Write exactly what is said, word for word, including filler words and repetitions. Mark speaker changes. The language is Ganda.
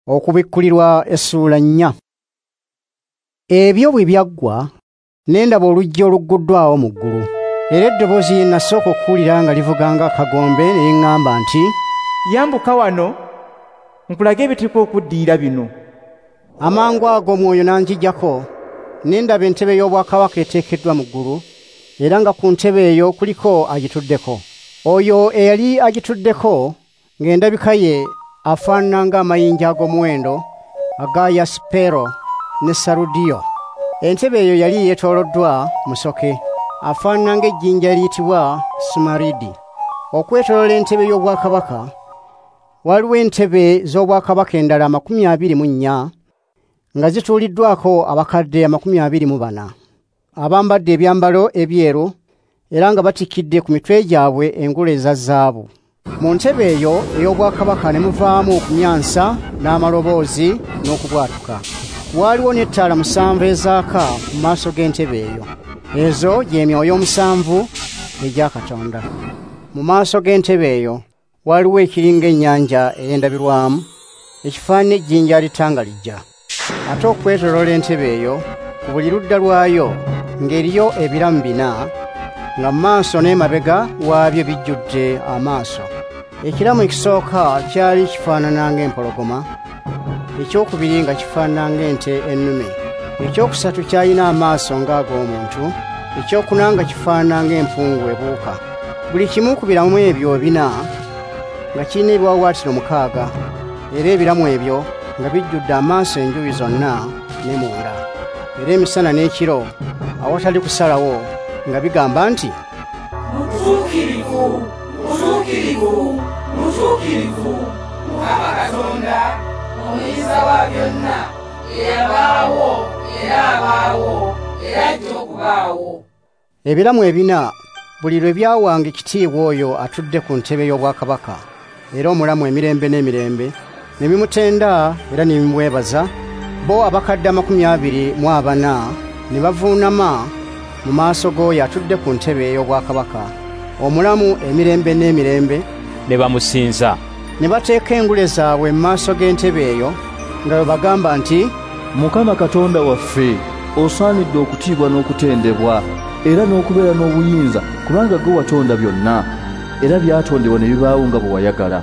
Speaker 1: Okubikkulirwa essuula nnya. Ebyo bwe byaggwa, ne ndaba oluggi olugguddwawo mu ggulu. Era eddoboozi lye nasooka okuwulira nga livuga ng'akagombe ne liŋŋamba nti,
Speaker 2: "Yambuka wano, nkulage ebiteekwa okuddirira bino."
Speaker 1: Amangu ago Omwoyo n'anjijjako, ne ndaba entebe y'obwakabaka eteekeddwa mu ggulu, era nga ku ntebe eyo kuliko agituddeko. Oyo eyali agituddeko ng'endabika ye afaanana ng'amayinja ag'omuwendo aga yasipero ne sarudiyo. Entebe eyo yali yeetooloddwa musoke, afaanana ng'ejjinja eriyitibwa sumaridi. Okwetooloola entebe y'obwakabaka waliwo entebe z'obwakabaka endala amakumi abiri mu nnya nga zituuliddwako abakadde amakumi abiri mu bana, abambadde ebyambalo ebyeru era nga batikkidde ku mitwe gyabwe engule eza zaabu. Mu ntebe eyo ey'obwakabaka ne muvaamu okumyansa n'amaloboozi n'okubwatuka. Waaliwo n'ettaala musanvu ezaaka mu maaso g'entebe eyo. Ezo gy'emyoyo omusanvu egya Katonda. Mu maaso g'entebe eyo waliwo ekiringa ennyanja ey'endabirwamu, ekifaanana ejjinja litangalijja. Ate okwetooloola entebe eyo ku buli ludda lwayo ng'eriyo ebiramu bina, nga mu maaso n'emabega waabyo bijjudde amaaso. Ekiramu ekisooka kyali kifaanana ng'empologoma, ekyokubiri nga kifaanana ng'ente ennume, ekyokusatu kyalina amaaso ng'ag'omuntu, ekyokuna nga kifaanana ng'empungu ebuuka. Buli kimu ku biramu ebyo bina nga kirina ebiwaawaatiro mukaaga, era ebiramu ebyo nga bijjudde amaaso enjuyi zonna ne munda. Era emisana n'ekiro awatali kusalawo nga bigamba nti,
Speaker 3: "Mutuukirivu, mutuukirivu, mutuukirivu, Mukama Katonda, omuyinza wa byonna, eyabaawo era abaawo era ajja okubaawo."
Speaker 1: Ebiramu ebina buli lwe byawanga ekitiibwa oyo atudde ku ntebe y'obwakabaka era omulamu emirembe n'emirembe, ne bimutenda era ne bimwebaza. Bo abakadde amakumi abiri mu abana ne bavuunama mu maaso g'oyo atudde ku ntebe ey'obwakabaka, omulamu emirembe n'emirembe,
Speaker 4: ne bamusinza.
Speaker 1: Ne bateeka engule zaabwe mu maaso g'entebe eyo nga bwe bagamba nti,
Speaker 5: "Mukama Katonda waffe, osaanidde okutiibwa n'okutendebwa era n'okubeera n'obuyinza, kubanga gwe watonda byonna, era byatondebwa ne bibaawo nga bwe wayagala."